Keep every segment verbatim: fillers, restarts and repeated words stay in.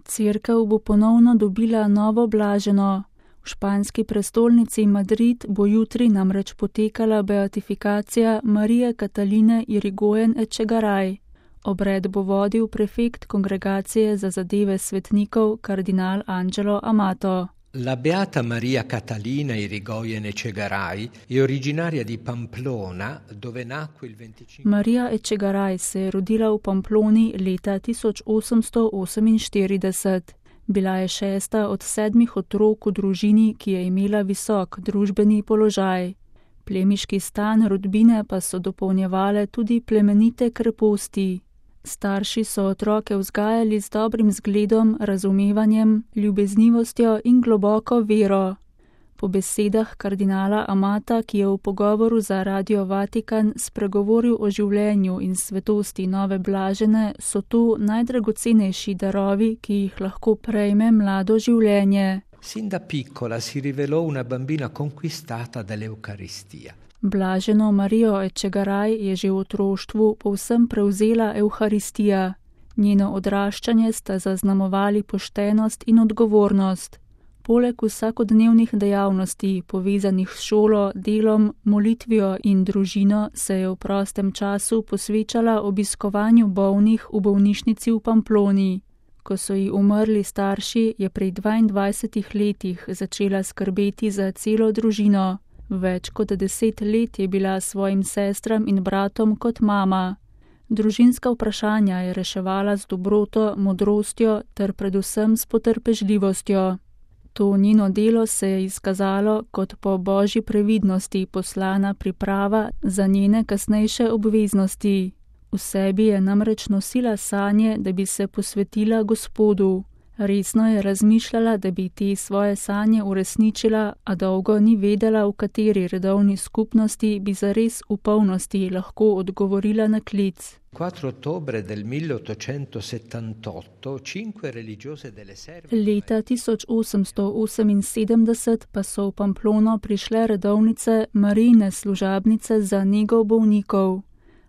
Cerkev bo ponovno dobila novo blaženo. V španski prestolnici Madrid bo jutri namreč potekala beatifikacija Marije Kataline Irigoyen Echegaray. Obred bo vodil prefekt Kongregacije za zadeve svetnikov kardinal Angelo Amato. La beata Maria Catalina Irigoyen Echegaray je originaria di Pamplona, dove nacque il venticinque. Marija Echegaray se je rodila v Pamploni leta tisoč osemsto oseminštirideset. Bila je šesta od sedmih otrok v družini, ki je imela visok družbeni položaj. Plemiški stan rodbine pa so dopolnjevale tudi plemenite kreposti. Starši so otroke vzgajali z dobrim zgledom, razumevanjem, ljubeznivostjo in globoko vero. Po besedah kardinala Amata, ki je v pogovoru za Radio Vatikan spregovoril o življenju in svetosti nove blažene, so to najdragocenejši darovi, ki jih lahko prejme mlado življenje. Sin da piccola si rivelò una bambina conquistata dall'Eucaristia. Blaženo Marijo Echegaray je že v otroštvu povsem prevzela Evharistija. Njeno odraščanje sta zaznamovali poštenost in odgovornost. Poleg vsakodnevnih dejavnosti, povezanih s šolo, delom, molitvijo in družino, se je v prostem času posvečala obiskovanju bolnih v bolnišnici v Pamploni. Ko so ji umrli starši, je pri dvaindvajsetih letih začela skrbeti za celo družino. Več kot deset let je bila svojim sestram in bratom kot mama. Družinska vprašanja je reševala z dobroto, modrostjo ter predvsem s potrpežljivostjo. To njeno delo se je izkazalo kot po božji previdnosti poslana priprava za njene kasnejše obveznosti. V sebi je namreč nosila sanje, da bi se posvetila Gospodu. Resno je razmišljala, da bi te svoje sanje uresničila, a dolgo ni vedela, v kateri redovni skupnosti bi zares v polnosti lahko odgovorila na klic. quattro ottobre del milleottocentosettantotto cinque religiose delle Serve. Leta tisoč osemsto oseminsedemdeset pa so v Pamplono prišle redovnice Marijine služabnice za nego bolnikov.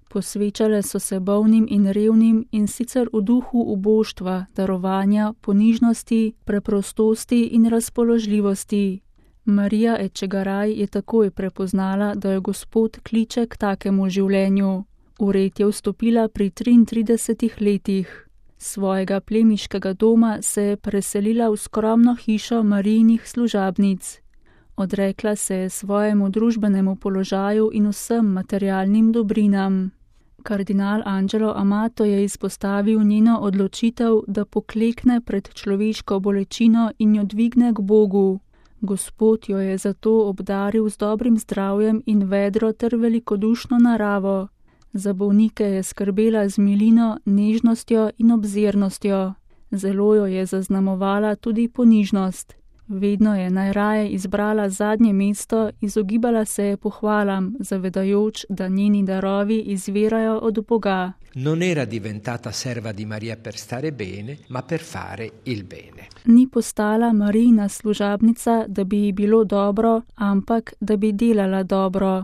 Posvečale so se bolnim in revnim in sicer v duhu uboštva, darovanja, ponižnosti, preprostosti in razpoložljivosti. Marija Echegaray je takoj prepoznala, da jo Gospod kliče k takemu življenju. V red je vstopila pri triintridesetih letih. Svojega plemiškega doma se je preselila v skromno hišo Marijinih služabnic. Odrekla se je svojemu družbenemu položaju in vsem materialnim dobrinam. Kardinal Angelo Amato je izpostavil njeno odločitev, da poklekne pred človeško bolečino in jo dvigne k Bogu. Gospod jo je zato obdaril z dobrim zdravjem in vedro ter velikodušno naravo. Za bolnike je skrbela z milino, nežnostjo in obzirnostjo. Zelo jo je zaznamovala tudi ponižnost. Vedno je najraje izbrala zadnje mesto, izogibala se je pohvalam, zavedajoč, da njeni darovi izvirajo od Boga. Non era diventata serva di Maria per stare bene, ma per fare il bene. Ni postala Marijina služabnica, da bi ji bilo dobro, ampak da bi delala dobro.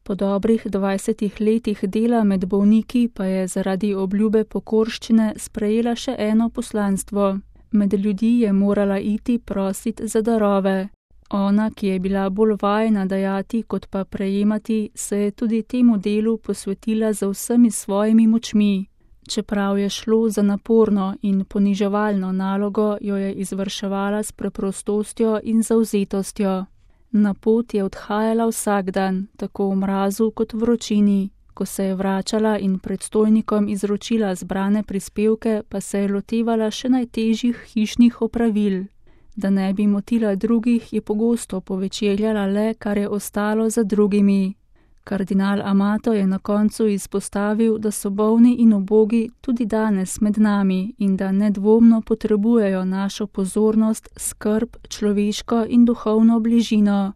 Po dobrih dvajsetih letih dela med bolniki pa je zaradi obljube pokorščine sprejela še eno poslanstvo. Med ljudi je morala iti prosit za darove. Ona, ki je bila bolj vajena dajati kot pa prejemati, se je tudi temu delu posvetila za vsemi svojimi močmi. Čeprav je šlo za naporno in poniževalno nalogo, jo je izvrševala s preprostostjo in zavzetostjo. Na pot je odhajala vsak dan, tako v mrazu kot v vročini. Ko se je vračala in predstojnikom izročila zbrane prispevke, pa se je lotevala še najtežjih hišnih opravil. Da ne bi motila drugih, je pogosto povečerjala le, kar je ostalo za drugimi. Kardinal Amato je na koncu izpostavil, da so bolni in ubogi tudi danes med nami in da nedvomno potrebujejo našo pozornost, skrb, človeško in duhovno bližino.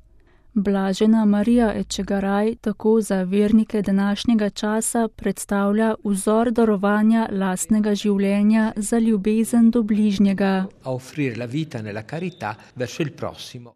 Blažena Marija Echegaray tako za vernike današnjega časa predstavlja vzor darovanja lastnega življenja za ljubezen do bližnjega. A offrire la vita nella carità verso il prossimo.